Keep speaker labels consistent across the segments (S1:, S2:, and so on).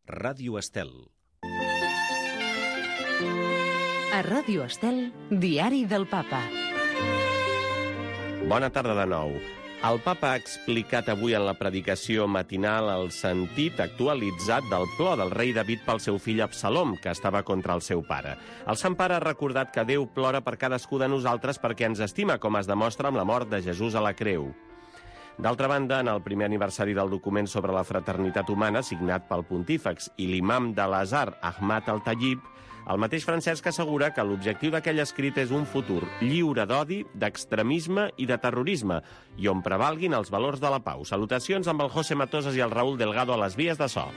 S1: Ràdio Estel.
S2: A Ràdio Estel, Diari del Papa.
S3: Bona tarda de nou. El Papa ha explicat avui en la predicació matinal el sentit actualitzat del plor del rei David pel seu fill Absalom, que estava contra el seu pare. El Sant Pare ha recordat que Déu plora per cadascú de nosaltres perquè ens estima, com es demostra amb la mort de Jesús a la creu. D'altra banda, en el primer aniversari del document sobre la fraternitat humana, signat pel pontífex i l'imam de l'Azhar, Ahmad al-Tayyib, el mateix Francesc assegura que l'objectiu d'aquell escrit és un futur lliure d'odi, d'extremisme i de terrorisme, i on prevalguin els valors de la pau. Salutacions amb el José Matosas i el Raúl Delgado a les vies de so.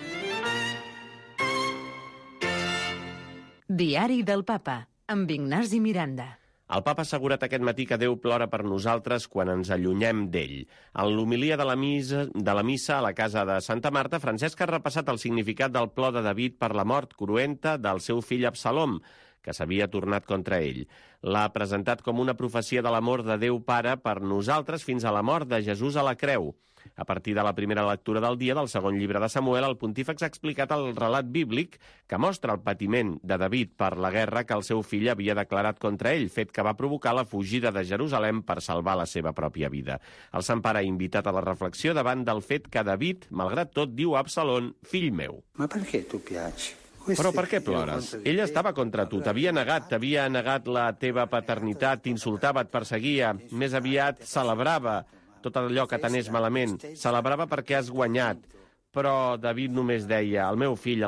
S2: Diari del Papa, amb Ignasi Miranda.
S3: El Papa ha assegurat aquest matí que Déu plora per nosaltres quan ens allunyem d'ell. En l'homilia de la missa a la casa de Santa Marta, Francesc ha repassat el significat del plor de David per la mort cruenta del seu fill Absalom, que s'havia tornat contra ell. L'ha presentat com una profecia de l'amor de Déu Pare per nosaltres fins a la mort de Jesús a la creu. A partir de la primera lectura del dia del segon llibre de Samuel, el pontífex ha explicat el relat bíblic que mostra el patiment de David per la guerra que el seu fill havia declarat contra ell, fet que va provocar la fugida de Jerusalem per salvar la seva pròpia vida. El Sant Pare ha invitat a la reflexió davant del fet que David, malgrat tot, diu a Absalom, fill meu.
S4: Ma perché tu piaci?
S3: Però per què plores? Ell estava contra tu, t'havia negat la teva paternitat, t'insultava, et perseguia, més aviat celebrava tot allò que t'anés malament, celebrava perquè has guanyat. Però David només deia, el meu fill,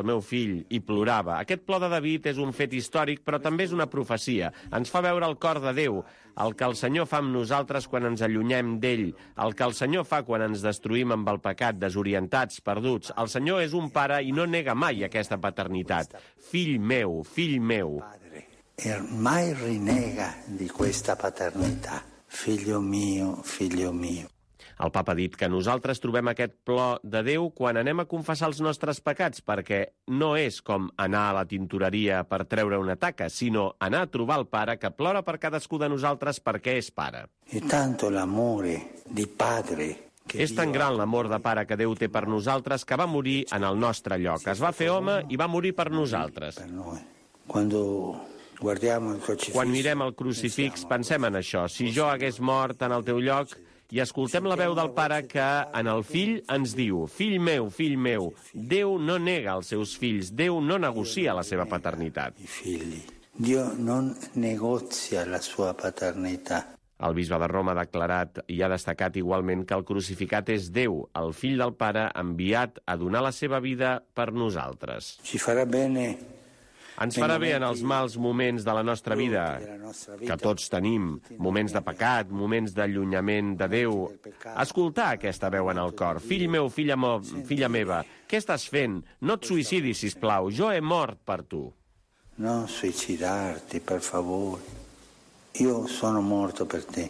S3: i plorava. Aquest plor de David és un fet històric, però també és una profecia. Ens fa veure el cor de Déu, el que el Senyor fa amb nosaltres quan ens allunyem d'ell, el que el Senyor fa quan ens destruïm amb el pecat, desorientats, perduts. El Senyor és un pare i no nega mai aquesta paternitat. Fill meu, fill meu.
S4: E mai rinega di questa paternità. Figlio mio, figlio mio.
S3: El Papa ha dit que nosaltres trobem aquest plor de Déu quan anem a confessar els nostres pecats, perquè no és com anar a la tintoreria per treure una taca, sinó anar a trobar el Pare que plora per cadascú de nosaltres perquè és Pare.
S4: E tanto l'amore di padre.
S3: És tan gran l'amor de Pare que Déu té per nosaltres que va morir en el nostre lloc. Es va fer home i va morir per nosaltres. Quan mirem el crucifix pensem en això. Si jo hagués mort en el teu lloc, i escoltem la veu del Pare que en el fill ens diu, fill meu, Déu no nega els seus fills, Déu no negocia la seva paternitat.
S4: Dio non negozia la sua paternità.
S3: El bisbe de Roma ha declarat i ha destacat igualment que el crucificat és Déu, el fill del Pare enviat a donar la seva vida per nosaltres. Ens farà bé en els mals moments de la nostra vida, que tots tenim, moments de pecat, moments d'allunyament de Déu, escoltar aquesta veu en el cor. Fill meu, filla meva, què estàs fent? No et suïcidis, sisplau, jo he mort per tu.
S4: No suïcidar-te, per favor. Io sono morto per te.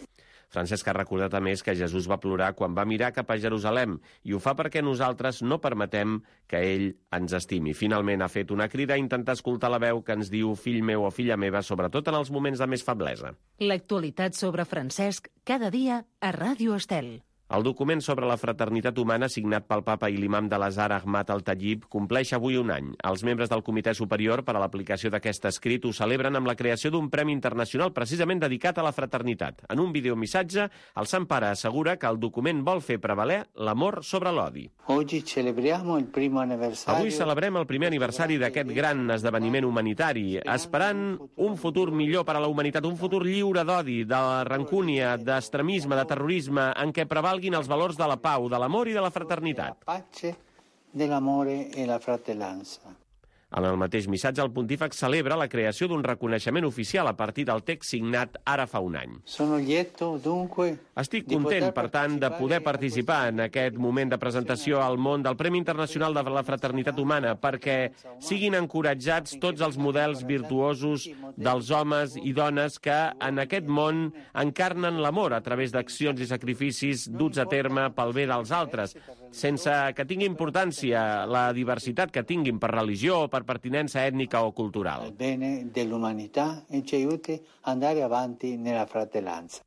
S3: Francesc ha recordat a més que Jesús va plorar quan va mirar cap a Jerusalem i ho fa perquè nosaltres no permetem que ell ens estimi. Finalment ha fet una crida a intentar escoltar la veu que ens diu fill meu o filla meva, sobretot en els moments de més feblesa.
S2: L'actualitat sobre Francesc cada dia a Ràdio Estel.
S3: El document sobre la fraternitat humana, signat pel Papa i l'imam de l'Azhar, Ahmad al-Tayyib, compleix avui un any. Els membres del Comitè Superior per a l'aplicació d'aquest escrit ho celebren amb la creació d'un premi internacional precisament dedicat a la fraternitat. En un videomissatge, el Sant Pare assegura que el document vol fer prevaler l'amor sobre l'odi.
S4: Avui
S3: celebrem el primer aniversari d'aquest gran esdeveniment humanitari, esperant un futur millor per a la humanitat, un futur lliure d'odi, de rancúnia, d'extremisme, de terrorisme, en què prevalgui els valors de la pau, de l'amor i de la fraternitat. En el mateix missatge, el pontífex celebra la creació d'un reconeixement oficial a partir del text signat ara fa un any. Estic content, per tant, de poder participar en aquest moment de presentació al món del Premi Internacional de la Fraternitat Humana perquè siguin encoratjats tots els models virtuosos dels homes i dones que en aquest món encarnen l'amor a través d'accions i sacrificis duts a terme pel bé dels altres, sense que tingui importància la diversitat que tinguin per religió o per pertinença ètnica o cultural.
S4: Il bene dell'umanità e ci aiuti ad andare avanti nella fratellanza.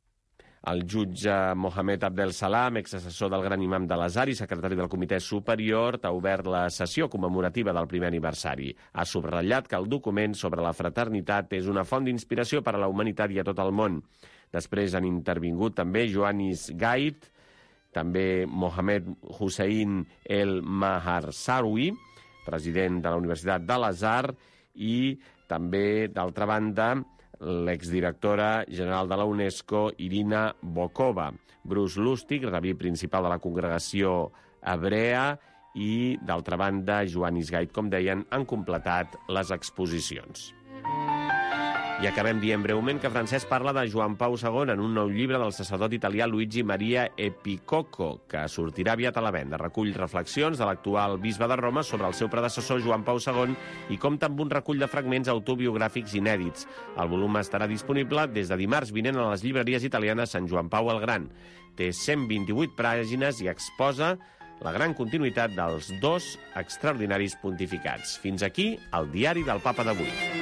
S3: El jutge Mohamed Abdel Salam, exassessor del gran imam de l'Azhar i secretari del Comitè Superior, ha obert la sessió commemorativa del primer aniversari. Ha subratllat que el document sobre la fraternitat és una font d'inspiració per a la humanitat i a tot el món. Després han intervingut també Ioannis Gait, també Mohamed Hussein El Maharsarawi, president de la Universitat de l'Azhar, i també, d'altra banda, l'exdirectora general de la UNESCO, Irina Bokova, Bruce Lustig, rabí principal de la congregació hebrea, i, d'altra banda, Ioannis Gait, com deien, han completat les exposicions. I acabem dient breument que Francesc parla de Joan Pau II en un nou llibre del sacerdot italià Luigi Maria Epicocco, que sortirà aviat a la venda. Recull reflexions de l'actual bisbe de Roma sobre el seu predecessor Joan Pau II i compta amb un recull de fragments autobiogràfics inèdits. El volum estarà disponible des de dimarts vinent a les llibreries italianes Sant Joan Pau el Gran. Té 128 pàgines i exposa la gran continuïtat dels dos extraordinaris pontificats. Fins aquí el diari del Papa d'avui.